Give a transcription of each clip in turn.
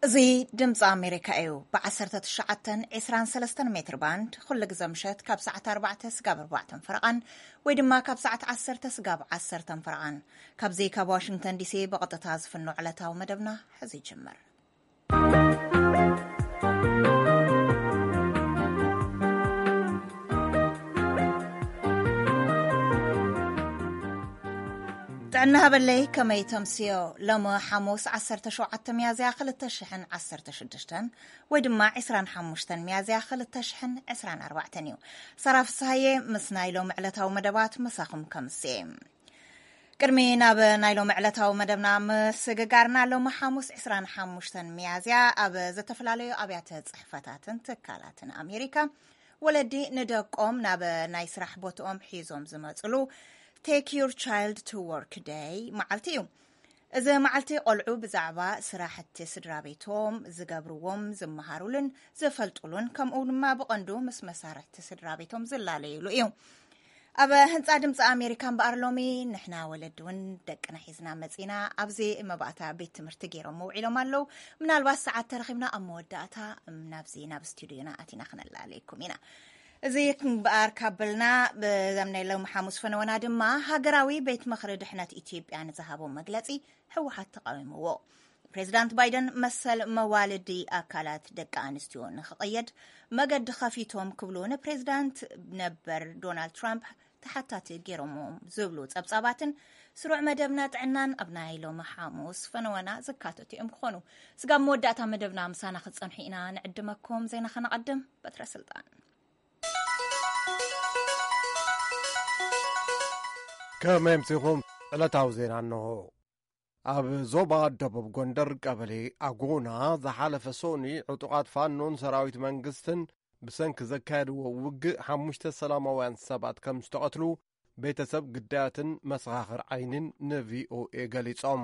እዚ ድምፂ ኣሜሪካ እዩ። ብ19 23 ሜትር ባንድ ኩሉ ግዘ ምሸት ካብ ሰዓት ኣርባዕተ ስጋብ ኣርባዕተን ፈረቓን ወይ ድማ ካብ ሰዓት ዓሰርተ ስጋብ ዓሰርተን ፈረቓን፣ ካብዚ ካብ ዋሽንግተን ዲሲ ብቐጥታ ዝፍኖ ዕለታዊ መደብና ሕዚ ይጅምር። ጥዕና ሃበለይ፣ ከመይ ተምስዮ? ሎሚ ሓሙስ 17 ሚያዝያ 2016 ወይ ድማ 25 ሚያዝያ 2024 እዩ። ሰራ ፍስሃየ ምስ ናይ ሎሚ ዕለታዊ መደባት ምሳኹም ከምስየ። ቅድሚ ናብ ናይ ሎሚ ዕለታዊ መደብና ምስግጋርና፣ ሎሚ ሓሙስ 25 ሚያዝያ ኣብ ዝተፈላለዩ ኣብያተ ጽሕፈታትን ትካላትን ኣሜሪካ ወለዲ ንደቆም ናብ ናይ ስራሕ ቦትኦም ሒዞም ዝመፅሉ Take Your Child to Work Day መዓልቲ እዩ። እዚ መዓልቲ ቆልዑ ብዛዕባ ስራሕቲ ስድራ ቤቶም ዝገብርዎም ዝመሃሩሉን ዝፈልጡሉን፣ ከምኡ ድማ ብቐንዱ ምስ መሳርሕቲ ስድራ ቤቶም ዝላለዩሉ እዩ። ኣብ ህንፃ ድምፂ ኣሜሪካ እምበኣር ሎሚ ንሕና ወለዲ እውን ደቅና ሒዝና መፂና ኣብዚ መባእታ ቤት ትምህርቲ ገይሮም ውዒሎም ኣለዉ። ምናልባት ሰዓት ተረኺብና ኣብ መወዳእታ ናብዚ ናብ ስቱዲዮና ኣቲና ክነላለየኩም ኢና። እዚ እምበኣር ካበልና፣ ብዘም ናይ ሎሚ ሓሙስ ፈነወና ድማ ሃገራዊ ቤት ምኽሪ ድሕነት ኢትዮጵያ ንዝሃቦ መግለፂ ህወሓት ተቃዊምዎ። ፕሬዚዳንት ባይደን መሰል መዋልዲ ኣካላት ደቂ ኣንስትዮ ንክቐየድ መገዲ ከፊቶም ክብሉ ንፕሬዚዳንት ነበር ዶናልድ ትራምፕ ተሓታቲ ገይሮምዎም ዝብሉ ጸብጻባትን ስሩዕ መደብና ጥዕናን ኣብ ናይ ሎሚ ሓሙስ ፈነወና ዝካተቱ እዮም ክኾኑ። ስጋብ መወዳእታ መደብና ምሳና ክትጸንሑ ኢና ንዕድመኩም። ዜና ከነቐድም። በትረ ስልጣን። ከመይ ኣምሲኹም? ዕለታዊ ዜና እንሆ። ኣብ ዞባ ደቡብ ጎንደር ቀበሌ ኣጎና ዝሓለፈ ሶኒ ዕጡቓት ፋኖን ሰራዊት መንግስትን ብሰንኪ ዘካየድዎ ውግእ ሓሙሽተ ሰላማውያን ሰባት ከም ዝተቐትሉ ቤተሰብ ግዳያትን መሰኻኽር ዓይንን ንቪኦኤ ገሊጾም።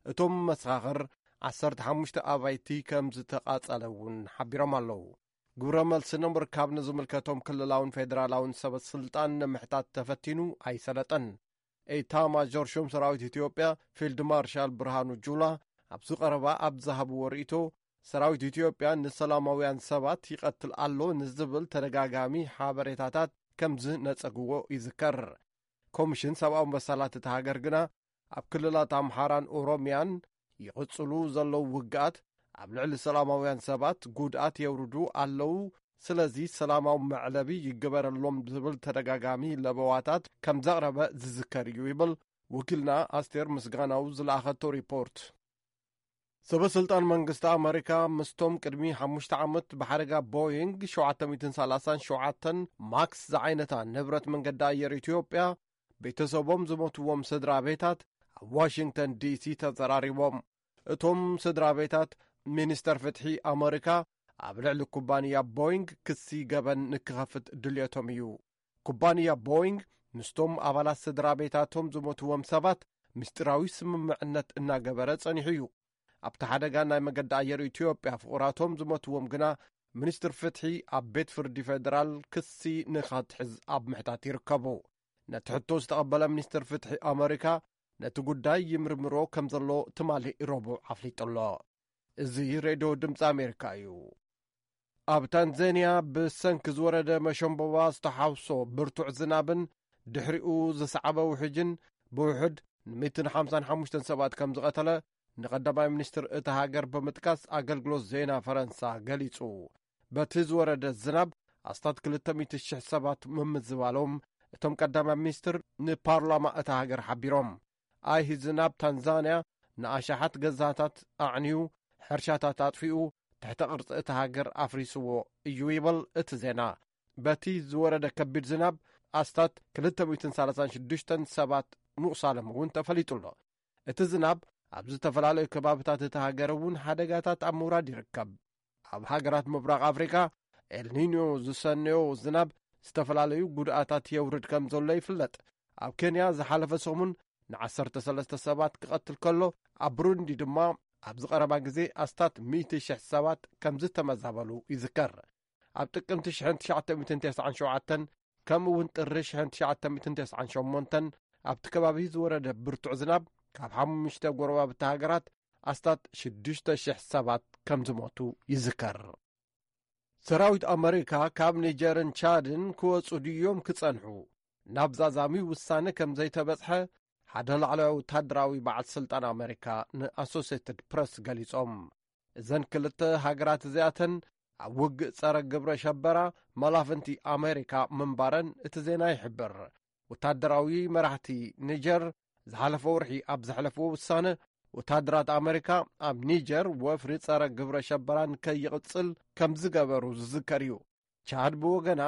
እቶም መሰኻኽር ዓሰርተ ሓሙሽተ ኣባይቲ ከም ዝተቓጸለ እውን ሓቢሮም ኣለዉ። ግብረ መልሲ ንምርካብ ንዝምልከቶም ክልላውን ፌደራላውን ሰበ ስልጣን ንምሕታት ተፈቲኑ ኣይሰለጠን። ኤታ ማጆር ሹም ሰራዊት ኢትዮጵያ ፊልድ ማርሻል ብርሃኑ ጁላ ኣብዚ ቀረባ ኣብ ዝሃብዎ ርእይቶ፣ ሰራዊት ኢትዮጵያ ንሰላማውያን ሰባት ይቐትል ኣሎ ንዝብል ተደጋጋሚ ሓበሬታታት ከም ዝነጸግዎ ይዝከር። ኮሚሽን ሰብኣዊ መሰላት እታ ሃገር ግና፣ ኣብ ክልላት ኣምሓራን ኦሮሚያን ይቕጽሉ ዘለዉ ውግኣት ኣብ ልዕሊ ሰላማውያን ሰባት ጉድኣት የውርዱ ኣለዉ፣ ስለዚ ሰላማዊ መዕለቢ ይግበረሎም ዝብል ተደጋጋሚ ለበዋታት ከም ዘቕረበ ዝዝከር እዩ ይብል ወኪልና ኣስቴር ምስጋናው ዝለኣኸቶ ሪፖርት። ሰበ ስልጣን መንግስቲ ኣመሪካ ምስቶም ቅድሚ ሓሙሽተ ዓመት ብሓደጋ ቦይንግ ሸውዓተ ሚእትን ሰላሳን ሸውዓተን ማክስ ዝዓይነታ ንብረት መንገዲ ኣየር ኢትዮጵያ ቤተሰቦም ዝሞትዎም ስድራ ቤታት ኣብ ዋሽንግተን ዲሲ ተዘራሪቦም። እቶም ስድራ ቤታት፣ ሚኒስተር ፍትሒ ኣመሪካ ኣብ ልዕሊ ኩባንያ ቦይንግ ክሲ ገበን ንክኸፍት ድልየቶም እዩ። ኩባንያ ቦይንግ ምስቶም ኣባላት ስድራ ቤታቶም ዝሞትዎም ሰባት ምስጢራዊ ስምምዕነት እናገበረ ጸኒሑ እዩ። ኣብቲ ሓደጋ ናይ መገዲ ኣየር ኢትዮጵያ ፍቑራቶም ዝሞትዎም ግና፣ ሚኒስትር ፍትሒ ኣብ ቤት ፍርዲ ፌደራል ክሲ ንኸትሕዝ ኣብ ምሕታት ይርከቡ። ነቲ ሕቶ ዝተቐበለ ሚኒስትር ፍትሒ ኣመሪካ፣ ነቲ ጉዳይ ይምርምሮ ከም ዘሎ ትማሊ ረቡዕ ኣፍሊጡ ኣሎ። እዚ ሬድዮ ድምፂ ኣሜሪካ እዩ። ኣብ ታንዛንያ ብሰንኪ ዝወረደ መሸምበባ ዝተሓውሶ ብርቱዕ ዝናብን ድሕሪኡ ዝሰዓበ ውሕጅን ብውሕድ ን155 ሰባት ከም ዝቐተለ ንቐዳማይ ሚኒስትር እታ ሃገር ብምጥቃስ ኣገልግሎት ዜና ፈረንሳ ገሊጹ። በቲ ዝወረደ ዝናብ ኣስታት ክልተ ሚእቲ ሽሕ ሰባት ምምዝባሎም እቶም ቀዳማይ ሚኒስትር ንፓርላማ እታ ሃገር ሓቢሮም። ኣይሂ ዝናብ ታንዛንያ ንኣሽሓት ገዛታት ኣዕንዩ፣ ሕርሻታት ኣጥፊኡ፣ ትሕተ ቅርጺ እታ ሃገር ኣፍሪስዎ እዩ ይብል እቲ ዜና። በቲ ዝወረደ ከቢድ ዝናብ ኣስታት ክልተ ሚእትን ሰላሳን ሽዱሽተን ሰባት ምቑሳሎም እውን ተፈሊጡ ኣሎ። እቲ ዝናብ ኣብ ዝተፈላለዩ ከባብታት እታ ሃገር እውን ሓደጋታት ኣብ ምውራድ ይርከብ። ኣብ ሃገራት ምብራቕ ኣፍሪካ ኤልኒኞ ዝሰነዮ ዝናብ ዝተፈላለዩ ጉድኣታት የውርድ ከም ዘሎ ይፍለጥ። ኣብ ኬንያ ዝሓለፈ ሰሙን ን13 ሰባት ክቐትል ከሎ፣ ኣብ ብሩንዲ ድማ ኣብዚ ቀረባ ግዜ ኣስታት ሚእቲ ሽሕ ሰባት ከም ዝተመዛበሉ ይዝከር። ኣብ ጥቅምቲ ሽሕን ትሽዓተ ሚእትን ተስዓን ሸውዓተን ከምኡ እውን ጥሪ ሽሕን ትሽዓተ ሚእትን ተስዓን ሸሞንተን ኣብቲ ከባቢ ዝወረደ ብርቱዕ ዝናብ ካብ ሓሙሽተ ጎረባብቲ ሃገራት ኣስታት ሽዱሽተ ሽሕ ሰባት ከም ዝሞቱ ይዝከር። ሰራዊት ኣመሪካ ካብ ኒጀርን ቻድን ክወጹ ድዮም ክጸንሑ ናብ ዛዛሚ ውሳነ ከም ዘይተበጽሐ ሓደ ላዕለዋይ ወታደራዊ በዓል ስልጣን ኣመሪካ ንኣሶሴትድ ፕረስ ገሊጾም። እዘን ክልተ ሃገራት እዚኣተን ኣብ ውግእ ጸረ ግብረ ሸበራ መላፍንቲ ኣመሪካ ምንባረን እቲ ዜና ይሕብር። ወታደራዊ መራሕቲ ኒጀር ዝሓለፈ ወርሒ ኣብ ዘሕለፍዎ ውሳነ፣ ወታደራት ኣመሪካ ኣብ ኒጀር ወፍሪ ጸረ ግብረ ሸበራ ንከይቕጽል ከም ዝገበሩ ዝዝከር እዩ። ቻድ ብወገና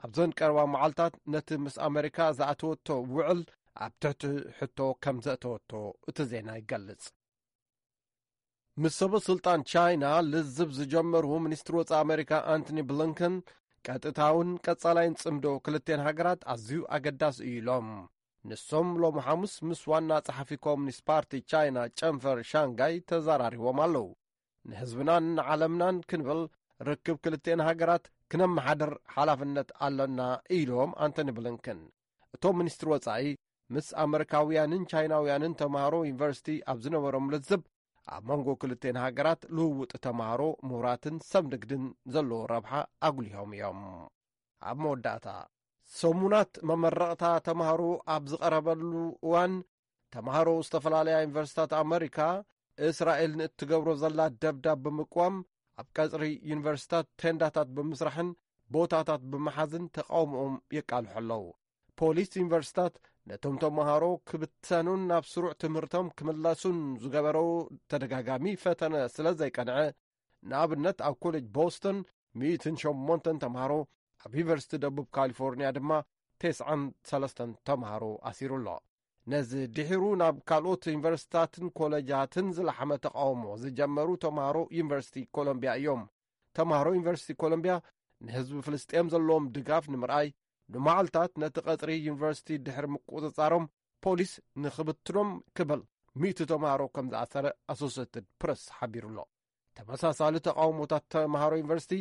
ኣብዘን ቀረባ መዓልታት ነቲ ምስ ኣመሪካ ዝኣተወቶ ውዕል ኣብ ትሕቲ ሕቶ ከም ዘእተወቶ እቲ ዜና ይገልጽ። ምስ ሰበ ስልጣን ቻይና ልዝብ ዝጀመሩ ሚኒስትሪ ወጻኢ ኣመሪካ ኣንቶኒ ብሊንከን ቀጥታውን ቀጻላይን ጽምዶ ክልቴን ሃገራት ኣዝዩ ኣገዳሲ እዩ ኢሎም። ንሶም ሎሚ ሓሙስ ምስ ዋና ጸሓፊ ኮሙኒስት ፓርቲ ቻይና ጨንፈር ሻንጋይ ተዘራሪቦም ኣለዉ። ንህዝብናን ንዓለምናን ክንብል ርክብ ክልቴን ሃገራት ክነመሓድር ሓላፍነት ኣሎና ኢሎም ኣንቶኒ ብሊንከን። እቶም ሚኒስትሪ ወጻኢ ምስ ኣመሪካውያንን ቻይናውያንን ተምሃሮ ዩኒቨርሲቲ ኣብ ዝነበሮም ልዝብ ኣብ መንጎ ክልቴን ሃገራት ልውውጥ ተምሃሮ ምሁራትን ሰብ ንግድን ዘለዎ ረብሓ ኣጉሊሆም እዮም። ኣብ መወዳእታ ሰሙናት መመረቕታ ተምሃሮ ኣብ ዝቐረበሉ እዋን ተምሃሮ ዝተፈላለያ ዩኒቨርሲታት ኣመሪካ እስራኤል ንእትገብሮ ዘላ ደብዳብ ብምቅዋም ኣብ ቀጽሪ ዩኒቨርሲታት ቴንዳታት ብምስራሕን ቦታታት ብምሓዝን ተቃውሞኦም የቃልሑ ኣለዉ። ፖሊስ ዩኒቨርሲታት ነቶም ተምሃሮ ክብተኑን ናብ ስሩዕ ትምህርቶም ክምለሱን ዝገበሮ ተደጋጋሚ ፈተነ ስለ ዘይቀንዐ፣ ንኣብነት ኣብ ኮሌጅ ቦስተን ሚእትን ሸሞንተን ተምሃሮ፣ ኣብ ዩኒቨርሲቲ ደቡብ ካሊፎርኒያ ድማ ተስዓን ሰለስተን ተምሃሮ ኣሲሩ ኣሎ። ነዚ ድሒሩ ናብ ካልኦት ዩኒቨርሲታትን ኮሌጃትን ዝለሓመ ተቃውሞ ዝጀመሩ ተምሃሮ ዩኒቨርሲቲ ኮሎምቢያ እዮም። ተምሃሮ ዩኒቨርሲቲ ኮሎምቢያ ንህዝቢ ፍልስጤም ዘለዎም ድጋፍ ንምርኣይ ንመዓልታት ነቲ ቀጽሪ ዩኒቨርሲቲ ድሕሪ ምቁጽጻሮም ፖሊስ ንኽብትኖም ክብል ሚእቲ ተምሃሮ ከም ዝኣሰረ ኣሶሴትድ ፕረስ ሓቢሩ ኣሎ። ተመሳሳሊ ተቃውሞታት ተምሃሮ ዩኒቨርሲቲ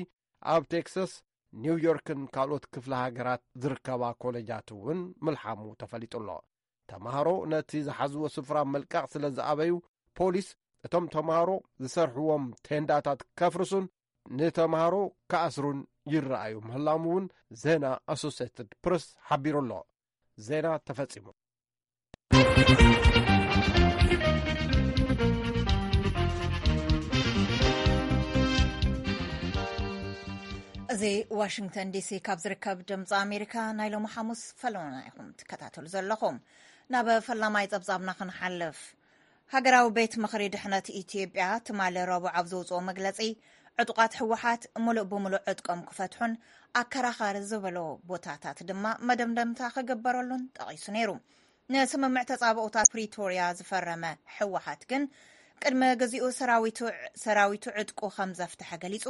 ኣብ ቴክሳስ፣ ኒውዮርክን ካልኦት ክፍለ ሃገራት ዝርከባ ኮሌጃት እውን ምልሓሙ ተፈሊጡ ኣሎ። ተምሃሮ ነቲ ዝሓዝዎ ስፍራ ምልቃቕ ስለ ዝኣበዩ፣ ፖሊስ እቶም ተምሃሮ ዝሰርሕዎም ቴንዳታት ከፍርሱን ንተምሃሮ ክኣስሩን ይረኣዩ ምህላዎም እውን ዜና ኣሶሴትድ ፕረስ ሓቢሩ ኣሎ። ዜና ተፈጺሙ። እዚ ዋሽንግተን ዲሲ ካብ ዝርከብ ድምፂ ኣሜሪካ ናይ ሎሚ ሓሙስ ፈለማና ኢኹም ትከታተሉ ዘለኹም። ናብ ፈላማይ ጸብጻብና ክንሓልፍ። ሃገራዊ ቤት ምኽሪ ድሕነት ኢትዮጵያ ትማሊ ረቡዕ ኣብ ዘውፅኦ መግለፂ፣ ዕጡቓት ህወሓት ሙሉእ ብሙሉእ ዕጥቆም ክፈትሑን ኣከራኻሪ ዝበሎ ቦታታት ድማ መደምደምታ ክግበረሉን ጠቒሱ ነይሩ። ንስምምዕ ተጻብኦታት ፕሪቶርያ ዝፈረመ ህወሓት ግን ቅድሚ ግዚኡ ሰራዊቱ ሰራዊቱ ዕጥቁ ከም ዘፍትሐ ገሊጹ።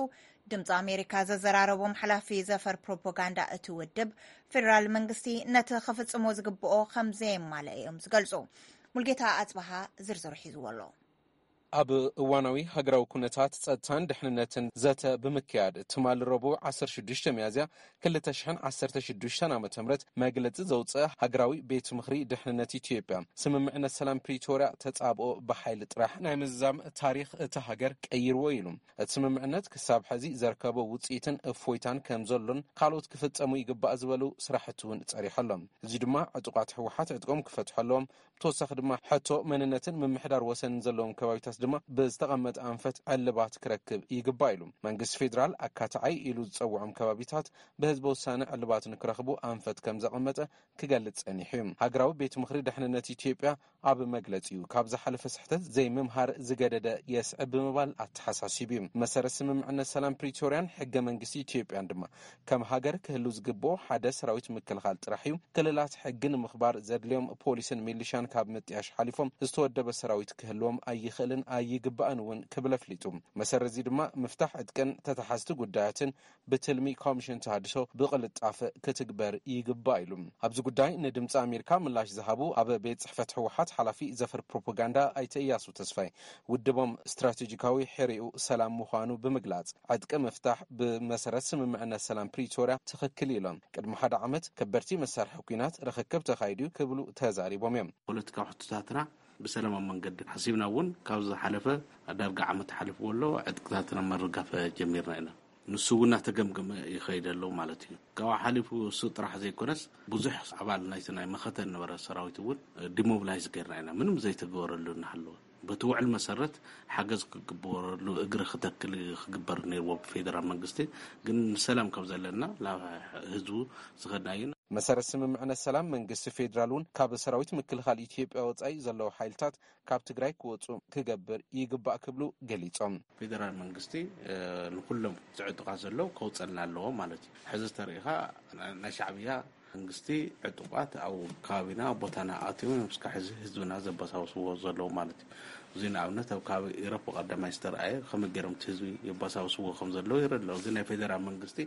ድምፂ ኣሜሪካ ዘዘራረቦም ሓላፊ ዘፈር ፕሮፓጋንዳ እቲ ውድብ፣ ፌደራል መንግስቲ ነቲ ክፍጽሞ ዝግብኦ ከም ዘየማልአ እዮም ዝገልጹ። ሙልጌታ ኣጽበሃ ዝርዝሩ ሒዝዎ ኣሎ። ኣብ እዋናዊ ሃገራዊ ኩነታት ጸጥታን ድሕንነትን ዘተ ብምክያድ፣ ትማሊ ረቡዕ ዓሰርተ ሽዱሽተ ሚያዝያ ክልተ ሽሕን ዓሰርተ ሽዱሽተን ዓመተ ምህረት መግለጺ ዘውጽአ ሃገራዊ ቤት ምኽሪ ድሕንነት ኢትዮጵያ፣ ስምምዕነት ሰላም ፕሪቶርያ ተጻብኦ ብሓይሊ ጥራሕ ናይ ምዝዛም ታሪኽ እታ ሃገር ቀይርዎ ኢሉ። እቲ ስምምዕነት ክሳብ ሕዚ ዘርከቦ ውጽኢትን እፎይታን ከም ዘሎን ካልኦት ክፍጸሙ ይግባእ ዝበሉ ስራሕቲ እውን ጸሪሑ ኣሎ። እዚ ድማ ዕጡቓት ህወሓት ዕጥቆም ክፈትሑ ኣለዎም። ብተወሳኺ ድማ ሕቶ መንነትን ምምሕዳር ወሰንን ዘለዎም ከባቢታት ድማ ብዝተቐመጠ ኣንፈት ዕልባት ክረክብ ይግባእ ኢሉ። መንግስቲ ፌዴራል ኣካታዓይ ኢሉ ዝጸውዖም ከባቢታት ብህዝበ ውሳነ ዕልባት ንክረኽቡ ኣንፈት ከም ዘቐመጠ ክገልጽ ጸኒሑ እዩ። ሃገራዊ ቤት ምኽሪ ድሕንነት ኢትዮጵያ ኣብ መግለጺኡ፣ ካብ ዝሓለፈ ስሕተት ዘይምምሃር ዝገደደ የስዕብ ብምባል ኣተሓሳሲቡ እዩ። መሰረት ስምምዕነት ሰላም ፕሪቶርያን ሕገ መንግስቲ ኢትዮጵያን ድማ ከም ሃገር ክህሉ ዝግብኦ ሓደ ሰራዊት ምክልኻል ጥራሕ እዩ። ክልላት ሕጊ ንምኽባር ዘድልዮም ፖሊስን ሚሊሻን ካብ ምጥያሽ ሓሊፎም ዝተወደበ ሰራዊት ክህልዎም ኣይኽእልን ኣይግባእን እውን ክብል ኣፍሊጡ። መሰረት እዚ ድማ ምፍታሕ ዕጥቅን ተተሓዝቲ ጉዳያትን ብትልሚ ኮሚሽን ተሃድሶ ብቕልጣፈ ክትግበር ይግባእ ኢሉ። ኣብዚ ጉዳይ ንድምፂ ኣሜሪካ ምላሽ ዝሃቡ ኣብ ቤት ጽሕፈት ህወሓት ሓላፊ ዘፈር ፕሮፓጋንዳ ኣይተ እያሱ ተስፋይ፣ ውድቦም ስትራቴጂካዊ ሕሪኡ ሰላም ምዃኑ ብምግላጽ፣ ዕጥቂ ምፍታሕ ብመሰረት ስምምዕነት ሰላም ፕሪቶርያ ትኽክል ኢሎም። ቅድሚ ሓደ ዓመት ከበድቲ መሳርሒ ኲናት ርኽክብ ተኻይዱ ክብሉ ተዛሪቦም እዮም። ፖለቲካዊ ሕቶታትና ብሰላማዊ መንገዲ ሓሲብና እውን ካብ ዝሓለፈ ዳርጋ ዓመት ሓሊፍዎ ኣሎ፣ ዕጥቅታትና ምርጋፍ ጀሚርና ኢና። ንሱ እውን እናተገምገመ ይኸይድ ኣሎ ማለት እዩ። ካብኡ ሓሊፉ እሱ ጥራሕ ዘይኮነስ፣ ብዙሕ ኣባል ናይቲ ናይ መኸተ ዝነበረ ሰራዊት እውን ዲሞብላይዝ ገይርና ኢና፣ ምንም ዘይተገበረሉ እናሃለወ። በቲ ውዕል መሰረት ሓገዝ ክግበረሉ፣ እግሪ ክተክል ክግበር ነይርዎ ብፌደራል መንግስቲ። ግን ንሰላም ካብ ዘለና ናብ ህዝቡ ዝኸድና እዩ። መሰረት ስምምዕነት ሰላም፣ መንግስቲ ፌዴራል እውን ካብ ሰራዊት ምክልኻል ኢትዮጵያ ወጻኢ ዘለዉ ሓይልታት ካብ ትግራይ ክወጹ ክገብር ይግባእ ክብሉ ገሊጾም። ፌደራል መንግስቲ፣ እ፣ ንኩሎም ዝዕጡቓት ዘለዉ ከውጸልና ኣለዎ ማለት እዩ። ሕዚ ተሪኢኻ፣ ናይ ሻዕብያ መንግስቲ ዕጡቓት ኣብ ከባቢና፣ ኣብ ቦታና ኣትዮም እዮም እስካብ ሕዚ ህዝብና ዘበሳብስዎ ዘለዉ ማለት እዩ። እዚ ንኣብነት ኣብ ከባቢ ኢሮፕ ቀዳማይ ዝተረኣየ፣ ከመይ ገይሮም እቲ ህዝቢ የበሳብስዎ ከም ዘለዉ ይረድእ ኣሎ። እዚ ናይ ፌደራል መንግስቲ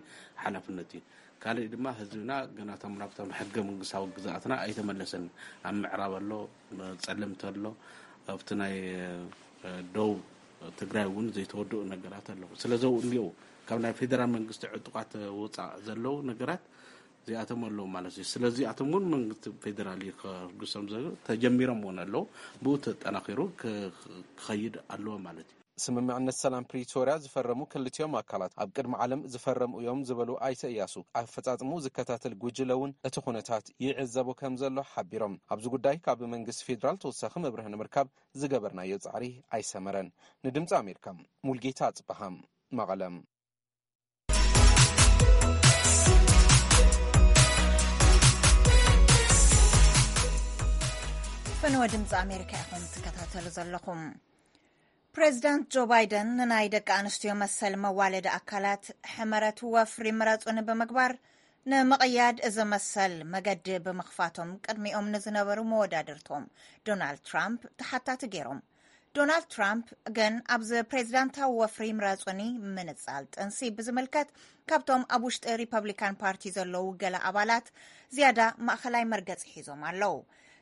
ሓላፍነት እዩ። ካልእ ድማ ህዝብና ገና እቶም ናብቶም ሕገ መንግስታዊ ግዝኣትና ኣይተመለሰን። ኣብ ምዕራብ ኣሎ፣ ጸለምቲ ኣሎ፣ ኣብቲ ናይ፣ እ፣ ደቡብ ትግራይ እውን ዘይተወድኡ ነገራት ኣለዉ። ስለዚ እኒኦ ካብ ናይ ፌደራል መንግስቲ ዕጡቓት ወፃእ ዘለዉ ነገራት እዚኣቶም ኣለዉ ማለት እዩ። ስለዚ እዚኣቶም እውን መንግስቲ ፌደራል እዩ ከርግሶም ዘ-፣ ተጀሚሮም እውን ኣለዉ። ብኡ ተጠናኺሩ ክ-፣ ክኸይድ ኣለዎ ማለት እዩ። ስምምዕነት ሰላም ፕሪቶርያ ዝፈረሙ ክልቲኦም ኣካላት ኣብ ቅድሚ ዓለም ዝፈረሙ እዮም ዝበሉ ኣይተ እያሱ፣ ኣፈጻጽምኡ ዝከታተል ጉጅለ እውን እቲ ኩነታት ይዕዘቦ ከም ዘሎ ሓቢሮም። ኣብዚ ጉዳይ ካብ መንግስቲ ፌደራል ተወሳኺ መብርሂ ንምርካብ ዝገበርናዮ ጻዕሪ ኣይሰመረን። ንድምጺ ኣሜሪካ፣ ሙልጌታ ኣጽበሃም፣ መቐለም። ፈነወ ድምፂ ኣሜሪካ ኢኹም ትከታተሉ ዘለኹም። ፕሬዚዳንት ጆ ባይደን ንናይ ደቂ ኣንስትዮ መሰል መዋለዲ ኣካላት ሕመረት ወፍሪ ምረጹኒ ብምግባር፣ ንምቕያድ እዚ መሰል መገዲ ብምኽፋቶም ቅድሚኦም ንዝነበሩ መወዳድርቶም ዶናልድ ትራምፕ ተሓታቲ ገይሮም። ዶናልድ ትራምፕ ግን ኣብዚ ፕሬዚዳንታዊ ወፍሪ ምረጹኒ ምንጻል ጥንሲ ብዝምልከት ካብቶም ኣብ ውሽጢ ሪፐብሊካን ፓርቲ ዘለዉ ገለ ኣባላት ዝያዳ ማእኸላይ መርገጺ ሒዞም ኣለዉ።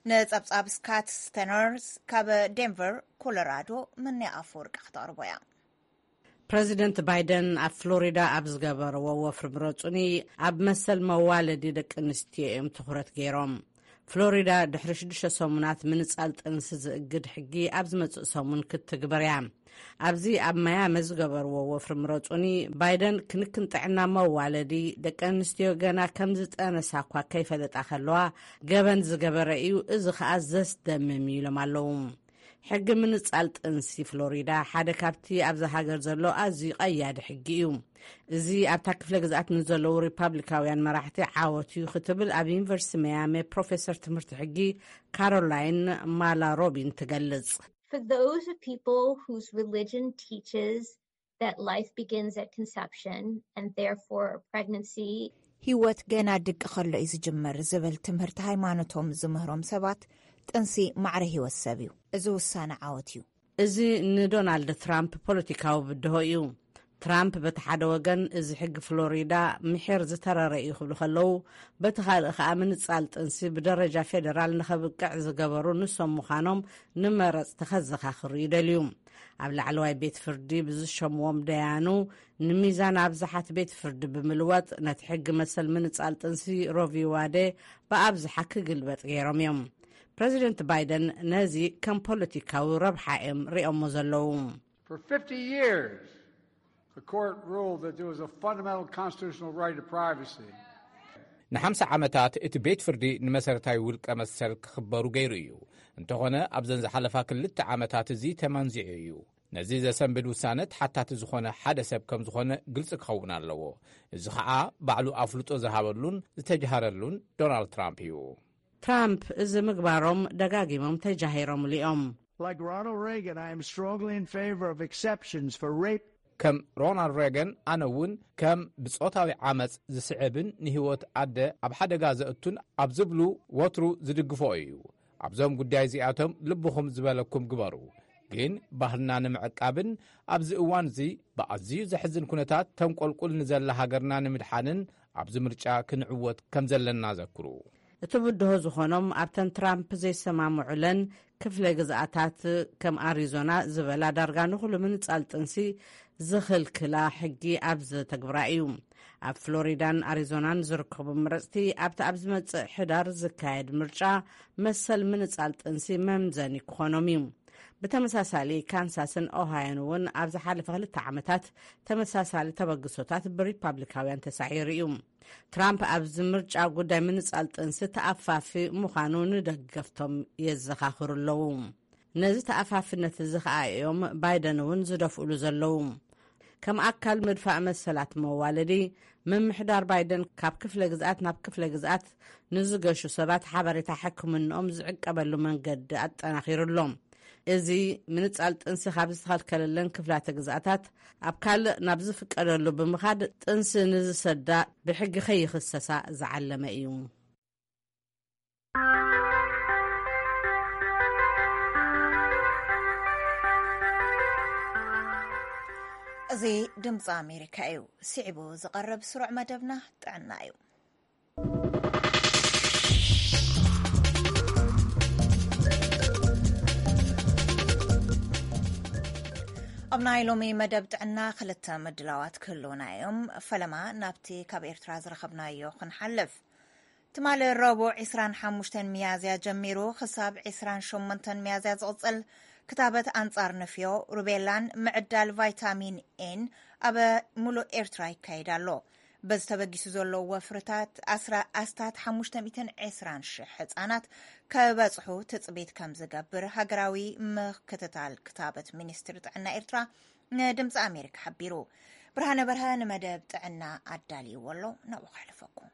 ንጸብጻብ ስካት ስተነርስ ካብ ዴንቨር ኮሎራዶ ምንያ ኣፈወርቂ ክተቕርቦ እያ። ፕረዚደንት ባይደን ኣብ ፍሎሪዳ ኣብ ዝገበርዎ ወፍሪ ምረጹኒ ኣብ መሰል መዋለዲ ደቂ ኣንስትዮ እዮም ትኹረት ገይሮም። ፍሎሪዳ ድሕሪ ሽዱሽተ ሰሙናት ምንጻል ጥንሲ ዝእግድ ሕጊ ኣብ ዝመጽእ ሰሙን ክትትግበር እያ። ኣብዚ ኣብ ማያሚ ዝገበርዎ ወፍሪ ምረጹኒ፣ ባይደን ክንክን ጥዕና መዋለዲ ደቂ ኣንስትዮ ገና ከም ዝጠነሳ እኳ ከይፈለጣ ከለዋ ገበን ዝገበረ እዩ፣ እዚ ኸኣ ዘስደምም እዩ ኢሎም ኣለዉ። ሕጊ ምንጻል ጥንሲ ፍሎሪዳ ሓደ ካብቲ ኣብዚ ሃገር ዘሎ ኣዝዩ ቀያዲ ሕጊ እዩ። እዚ ኣብታ ክፍለ ግዝኣት ንዘለዉ ሪፓብሊካውያን መራሕቲ ዓወት እዩ ክትብል ኣብ ዩኒቨርሲቲ መያሚ ፕሮፌሰር ትምህርቲ ሕጊ ካሮላይን ማላ ሮቢን ትገልጽ። For those of people whose religion teaches that life begins at conception and therefore pregnancy ህይወት ገና ድቂ ከሎ እዩ ዝጅምር ዝብል ትምህርቲ ሃይማኖቶም ዝምህሮም ሰባት፣ ጥንሲ ማዕረ ህይወት ሰብ እዩ። እዚ ውሳነ ዓወት እዩ። እዚ ንዶናልድ ትራምፕ ፖለቲካዊ ብድሆ እዩ። ትራምፕ በቲ ሓደ ወገን እዚ ሕጊ ፍሎሪዳ ምሒር ዝተረረ እዩ ክብሉ ከለዉ፣ በቲ ካልእ ከኣ ምንጻል ጥንሲ ብደረጃ ፌደራል ንኸብቅዕ ዝገበሩ ንሶም ምዃኖም ንመረጽቲ ከዘኻኽሩ ይደልዩ። ኣብ ላዕለዋይ ቤት ፍርዲ ብዝሸምዎም ደያኑ ንሚዛን ኣብዝሓት ቤት ፍርዲ ብምልዋጥ ነቲ ሕጊ መሰል ምንጻል ጥንሲ ሮቪ ዋዴ ብኣብዝሓ ክግልበጥ ገይሮም እዮም። ፕረዚደንት ባይደን ነዚ ከም ፖለቲካዊ ረብሓ እዮም ሪኦሞ ዘለዉ። For fifty years, the court ruled that there was a fundamental constitutional right of privacy. ንሓምሳ ዓመታት እቲ ቤት ፍርዲ ንመሰረታዊ ውልቀ መሰል ክኽበሩ ገይሩ እዩ። እንተኾነ ኣብዘን ዝሓለፋ ክልተ ዓመታት እዚ ተመንዚዑ እዩ። ነዚ ዘሰንብድ ውሳነ ተሓታቲ ዝኾነ ሓደ ሰብ ከም ዝኾነ ግልጺ ክኸውን ኣለዎ። እዚ ኸዓ ባዕሉ ኣፍልጦ ዝሃበሉን ዝተጃሃረሉን ዶናልድ ትራምፕ እዩ። ትራምፕ እዚ ምግባሮም ደጋጊሞም ተጃሂሮምሉ እዮም። Like Ronald Reagan, I am strongly in favor of exceptions for rape. ከም ሮናልድ ሬገን፣ ኣነ እውን ከም ብጾታዊ ዓመጽ ዝስዕብን ንህይወት ኣደ ኣብ ሓደጋ ዘእቱን ኣብ ዝብሉ ወትሩ ዝድግፎ እዩ። ኣብዞም ጉዳይ እዚኣቶም ልብኹም ዝበለኩም ግበሩ። ግን ባህልና ንምዕቃብን ኣብዚ እዋን እዚ ብኣዝዩ ዘሕዝን ኩነታት ተንቆልቁል ንዘላ ሃገርና ንምድሓንን ኣብዚ ምርጫ ክንዕወት ከም ዘለና ዘክሩ። እቲ ብድሆ ዝኾኖም ኣብተን ትራምፕ ዘይሰማምዑለን ክፍለ ግዝኣታት ከም ኣሪዞና ዝበላ ዳርጋ ንኹሉ ምንጻል ጥንሲ ዝኽልክላ ሕጊ ኣብ ዘተግብራ እዩ። ኣብ ፍሎሪዳን ኣሪዞናን ዝርከቡ መረፅቲ ኣብቲ ኣብ ዝመፅእ ሕዳር ዝካየድ ምርጫ መሰል ምንፃል ጥንሲ መምዘኒ ክኾኖም እዩ። ብተመሳሳሊ ካንሳስን ኦሃዮን እውን ኣብ ዝሓለፈ ክልተ ዓመታት ተመሳሳሊ ተበግሶታት ብሪፓብሊካውያን ተሳዒሩ እዩ። ትራምፕ ኣብዚ ምርጫ ጉዳይ ምንፃል ጥንሲ ተኣፋፊ ምዃኑ ንደገፍቶም የዘኻኽሩ ኣለዉ። ነዚ ተኣፋፍነት እዚ ኸኣ እዮም ባይደን እውን ዝደፍእሉ ዘለዉ። ከም ኣካል ምድፋእ መሰላት መዋለዲ፣ ምምሕዳር ባይደን ካብ ክፍለ ግዝኣት ናብ ክፍለ ግዝኣት ንዝገሹ ሰባት ሓበሬታ ሕክምንኦም ዝዕቀበሉ መንገዲ ኣጠናኺሩ ኣሎ። እዚ ምንጻል ጥንሲ ካብ ዝተኸልከለለን ክፍላተ ግዝኣታት ኣብ ካልእ ናብ ዝፍቀደሉ ብምኻድ ጥንሲ ንዝሰዳ ብሕጊ ከይኽሰሳ ዝዓለመ እዩ። እዚ ድምፂ ኣሜሪካ እዩ። ስዒቡ ዝቐርብ ስሩዕ መደብና ጥዕና እዩ። ኣብ ናይ ሎሚ መደብ ጥዕና ክልተ ምድላዋት ክህልውና እዮም። ፈለማ ናብቲ ካብ ኤርትራ ዝረኸብናዮ ክንሓልፍ። ትማሊ ረቡዕ ዕስራን ሓሙሽተን ሚያዝያ ጀሚሩ ክሳብ ዕስራን ሸሞንተን ሚያዝያ ዝቕጽል ክታበት ኣንጻር ንፍዮ፣ ሩቤላን ምዕዳል ቫይታሚን ኤን ኣብ ሙሉእ ኤርትራ ይካየድ ኣሎ። በዚ ተበጊሱ ዘሎ ወፍርታት ኣስራ-፣ ኣስታት ሓሙሽተ ሚእትን ዕስራን ሽሕ ህጻናት ከበጽሑ ትጽቢት ከም ዝገብር ሃገራዊ ምክትታል ክታበት ሚኒስትሪ ጥዕና ኤርትራ ንድምፂ ኣሜሪካ ሓቢሩ። ብርሃነ በርሀ ንመደብ ጥዕና ኣዳልይዎ ኣሎ፣ ናብኡ ከሕልፈኩም።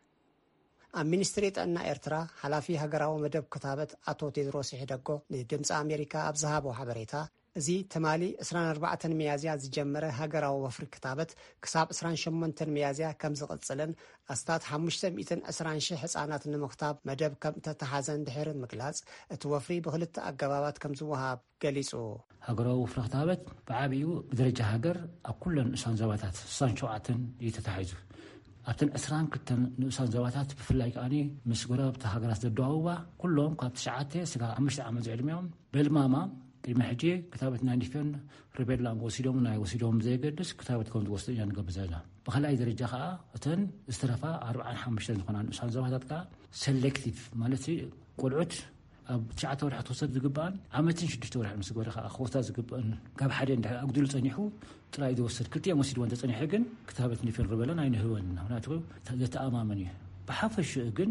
ኣብ ሚኒስትሪ ጥዕና ኤርትራ ሓላፊ ሃገራዊ መደብ ክታበት ኣቶ ቴድሮስ ይሕደጎ ንድምፂ ኣሜሪካ ኣብ ዝሃቦ ሓበሬታ፣ እዚ ትማሊ ዕስራን ኣርባዕተን ሚያዝያ ዝጀመረ ሃገራዊ ወፍሪ ክታበት ክሳብ ዕስራን ሸሞንተን ሚያዝያ ከም ዝቕጽልን ኣስታት ሓሙሽተ ሚእትን ዕስራን ሽሕ ህጻናት ንምኽታብ መደብ ከም እተተሓዘን ድሕሪ ምግላጽ፣ እቲ ወፍሪ ብኽልተ ኣገባባት ከም ዝወሃብ ገሊጹ። ሃገራዊ ወፍሪ ክታበት ብዓቢኡ ብደረጃ ሃገር ኣብ ኩለን ንኡሳን ዞባታት ስሳን ሸውዓተን እዩ ተታሒዙ። ኣብተን ዕስራን ክልተን ንኡሳን ዞባታት ብፍላይ ከኣ ምስ ጎረባብቲ ሃገራት ዘደዋውባ ኩሎም ካብ ትሽዓተ ስጋብ ሓሙሽተ ዓመት ዝዕድሚኦም በልማማ ቅድሚ ሕጂ ክታበት ናይ ኒፈን ሩቤላን ወሲዶም ናይ ወሲዶም ብዘየገድስ ክታበት ከም ዝወስዱ ኢና ንገብር ዘለና። ብኻልኣይ ደረጃ ከኣ እተን ዝተረፋ ኣርባዓን ሓሙሽተን ዝኾና ንኡሳን ዞባታት ከኣ ሰሌክቲቭ ማለት ቆልዑት ኣብ ትሽዓተ ወርሒ ክትወሰድ ዝግብኣን ዓመትን ሽዱሽተ ወርሒ ምስ ገበረ ከኣ ክወስዳ ዝግብአን ካብ ሓደ እንድሕር ኣጉዲሉ ጸኒሑ ጥራይ ዝወሰድ ክልቲኦም ወሲድዎ እንተጸኒሑ ግን ክታበት ኒፈን ሩቤላን ኣይንህበን ኢና። ምክንያቱ ዘተኣማምን እዩ። ብሓፈሽኡ ግን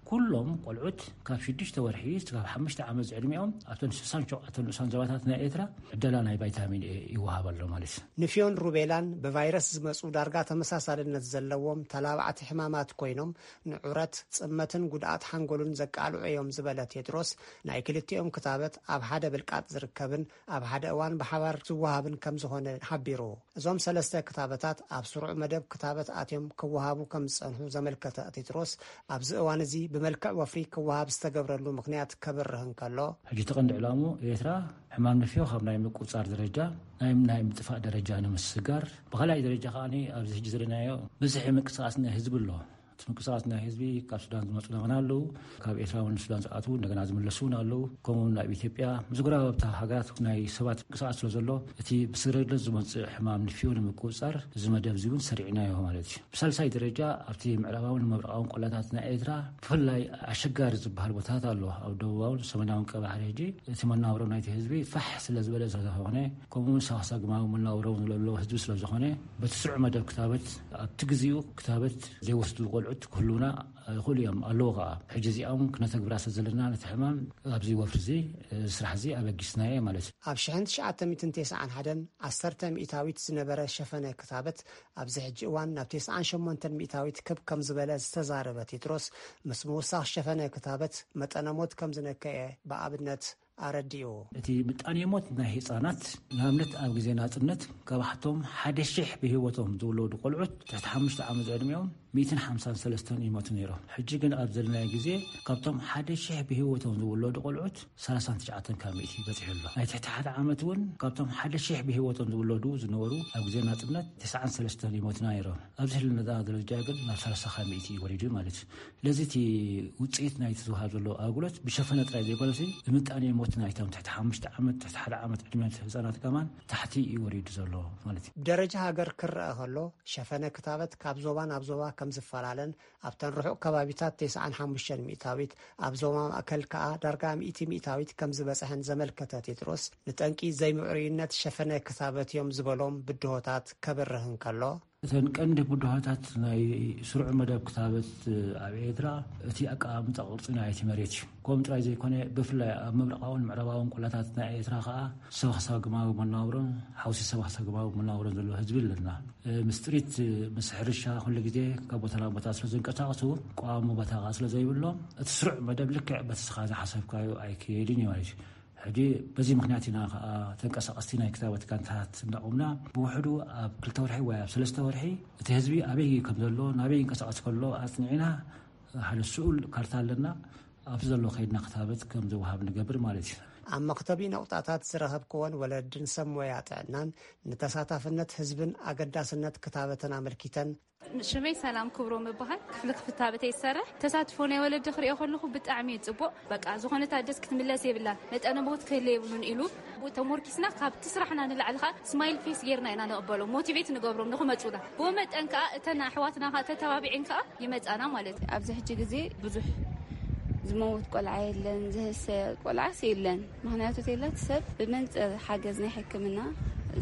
ኩሎም ቆልዑት ካብ ሽዱሽተ ወርሒ እስካብ ሓሙሽተ ዓመት ዝዕድሚኦም ኣብተን ስሳን ሸውዓተን ንኡሳን ዞባታት ናይ ኤርትራ ዕደላ ናይ ቫይታሚን ኤ ይወሃብ ኣሎ ማለት እዩ። ንፍዮን ሩቤላን ብቫይረስ ዝመጹ ዳርጋ ተመሳሳልነት ዘለዎም ተላባዕቲ ሕማማት ኮይኖም ንዑረት፣ ጽመትን ጉድኣት ሓንጎልን ዘቃልዑ እዮም ዝበለ ቴድሮስ፣ ናይ ክልቲኦም ክታበት ኣብ ሓደ ብልቃጥ ዝርከብን ኣብ ሓደ እዋን ብሓባር ዝወሃብን ከም ዝኾነ ሓቢሩ። እዞም ሰለስተ ክታበታት ኣብ ስሩዕ መደብ ክታበት ኣትዮም ክወሃቡ ከም ዝጸንሑ ዘመልከተ ቴድሮስ፣ ኣብዚ እዋን እዚ ብመልክዕ ወፍሪ ክወሃብ ዝተገብረሉ ምኽንያት ከብርህ እንከሎ፣ ሕጂ እቲ ቀንዲ ዕላሙ ኤርትራ ሕማም ንፍዮ ካብ ናይ ምቁጽጻር ደረጃ ናይ፣ ናይ ምጥፋእ ደረጃ ንምስጋር፣ ብኻልኣይ ደረጃ ከኣ ኣብዚ ሕጂ ዘለናዮ ብዝሒ ምንቅስቓስ ናይ ህዝቢ ኣሎ። እቲ ምንቅስቓስ ናይ ህዝቢ ካብ ሱዳን ዝመፁ እንደገና ኣለዉ፣ ካብ ኤርትራ እውን ሱዳን ዝኣትዉ እንደገና ዝምለሱ እውን ኣለዉ። ከምኡ እውን ናብ ኢትዮጵያ ምስ ጎረባብቲ ሃገራት ናይ ሰባት ምንቅስቓስ ስለ ዘሎ፣ እቲ ብስግረግለት ዝመፅእ ሕማም ንፍዮ ንምቁፅፃር እዚ መደብ እዚ እውን ሰሪዕናዮ ማለት እዩ። ብሳልሳይ ደረጃ ኣብቲ ምዕራባውን ምብራቓውን ቆላታት ናይ ኤርትራ ብፍላይ ኣሸጋሪ ዝበሃል ቦታታት ኣሎ። ኣብ ደቡባውን ሰሜናውን ቀባሕሪ ሕጂ እቲ መናብሮ ናይቲ ህዝቢ ፋሕ ስለ ዝበለ ስለዝኾነ፣ ከምኡ እውን ሳክሳግማዊ መናብሮ እውን ዘሎ ህዝቢ ስለ ዝኾነ፣ በቲ ስሩዕ መደብ ክታበት ኣብቲ ግዜኡ ክታበት ዘይወስዱ ቆልዑት ክህልውና ይኽእሉ እዮም፣ ኣለዉ ከኣ። ሕጂ እዚኣ እውን ክነተግብራ ስለ ዘለና ነቲ ሕማም ኣብዚ ወፍሪ እዚ፣ እዚ ስራሕ እዚ ኣበጊስናዮ ማለት እዩ። ኣብ ሽሕን ትሽዓተ ሚእትን ተስዓን ሓደን ዓሰርተ ሚእታዊት ዝነበረ ሸፈነ ክታበት ኣብዚ ሕጂ እዋን ናብ ተስዓን ሸሞንተን ሚእታዊት ክብ ከም ዝበለ ዝተዛረበ ቴድሮስ፣ ምስ ምውሳኽ ሸፈነ ክታበት መጠነ ሞት ከም ዝነከየ ብኣብነት ኣረዲኡ። እቲ ምጣኔ ሞት ናይ ህጻናት ንኣብነት ኣብ ግዜ ናጽነት ካብ ሓቶም ሓደ ሽሕ ብህይወቶም ዝውለዱ ቆልዑት ትሕቲ ሓሙሽተ ዓመት ዕድሚኦም ሚእትን ሓምሳን ሰለስተን ይሞቱ ነይሮም። ሕጂ ግን ኣብ ዘለናዮ ግዜ ካብቶም ሓደ ሽሕ ብህይወቶም ዝውለዱ ቆልዑት ሰላሳን ትሽዓተን ካብ ሚእቲ በጺሑ ኣሎ። ናይ ትሕቲ ሓደ ዓመት እውን ካብቶም ሓደ ሽሕ ብህይወቶም ዝውለዱ ዝነበሩ ኣብ ግዜ ናጽነት ተስዓን ሰለስተን ይሞቱና ነይሮም። ኣብዚ ህልነታ ደረጃ ግን ናብ ሰላሳ ካብ ሚእቲ እዩ ወሪዱ ማለት እዩ። ስለዚ እቲ ውጽኢት ናይቲ ዝወሃብ ዘሎ ኣገልግሎት ብሸፈነ ጥራይ ዘይኮነሲ ብምጣኔ ሞት ናይቶም ትሕቲ ሓሙሽተ ዓመት፣ ትሕቲ ሓደ ዓመት ዕድመ ህፃናት ከማን ታሕቲ እዩ ወሪዱ ዘሎ ማለት እዩ። ብደረጃ ሃገር ክረአ ከሎ፣ ሸፈነ ክታበት ካብ ዞባ ናብ ዞባ ከም ዝፈላለን ኣብተን ርሑቕ ከባቢታት ተስዓን ሓሙሽተን ሚእታዊት፣ ኣብ ዞባ ማእከል ከኣ ዳርጋ ሚእቲ ሚእታዊት ከም ዝበጽሐን ዘመልከተ ቴድሮስ፣ ንጠንቂ ዘይምዕሩይነት ሸፈነ ክታበት እዮም ዝበሎም ብድሆታት ከብርህ እንከሎ፣ እተን ቀንዲ ብድሆታት ናይ ስሩዕ መደብ ክታበት ኣብ ኤርትራ እቲ ኣቀማምጣ ቅርጺ ናይቲ መሬት እዩ። ከምኡ ጥራይ ዘይኮነ፣ ብፍላይ ኣብ ምብራቓውን ምዕራባውን ቆላታት ናይ ኤርትራ ከኣ ሰባኽሳግማዊ መነባብሮን ሓውሲ ሰባኽሳግማዊ መነባብሮን ዘለዎ ህዝቢ ኣለና። ምስ ጥሪት፣ ምስ ሕርሻ ኩሉ ግዜ ካብ ቦታ ናብ ቦታ ስለ ዝንቀሳቐሱ፣ ቀዋሚ ቦታ ከኣ ስለ ዘይብሎም፣ እቲ ስሩዕ መደብ ልክዕ በቲ ስኻ ዝሓሰብካዮ ኣይክየድን እዩ ማለት እዩ። ሕጂ በዚ ምኽንያት ኢና ከኣ ተንቀሳቐስቲ ናይ ክታበት ጋንታት እንዳቖምና፣ ብውሕዱ ኣብ ክልተ ወርሒ ወይ ኣብ ሰለስተ ወርሒ እቲ ህዝቢ ኣበይ ከም ዘሎ፣ ናበይ ይንቀሳቐስ ከሎ ኣጽኒዕና፣ ሓደ ስኡል ካርታ ኣለና። ኣብዚ ዘሎ ከይድና ክታበት ከም ዝወሃብ ንገብር ማለት እዩ። ኣብ መኽተቢ ነቑጣታት ዝረኸብክወን ወለድን ሰብ ሞያ ጥዕናን ንተሳታፍነት ህዝብን ኣገዳስነት ክታበትን ኣመልኪተን፣ ሽመይ ሰላም ክብሮም እበሃል። ክፍሊ ክፍታበተይ ይሰርሕ። ተሳትፎ ናይ ወለዲ ክሪኦ ከለኹ ብጣዕሚ እዩ ጽቡቕ። በቃ ዝኾነት ኣደስ ክትምለስ የብላን፣ መጠነ ሞት ክህለ የብሉን ኢሉ ተሞርኪስና፣ ካብቲ ስራሕና ንላዕሊ ኸኣ ስማይል ፌስ ጌርና ኢና ንቕበሎም፣ ሞቲቬት ንገብሮም ንኽመጹና። ብኡ መጠን ከኣ እተን ኣሕዋትና ከኣ ተተባቢዐን ከኣ ይመጻና ማለት እዩ። ኣብዚ ሕጂ ግዜ ብዙሕ ዝመውት ቆልዓ የለን፣ ዝህሰ ቆልዓስ የለን። ምኽንያቱ ተይላት ሰብ ብመንጽር ሓገዝ ናይ ሕክምና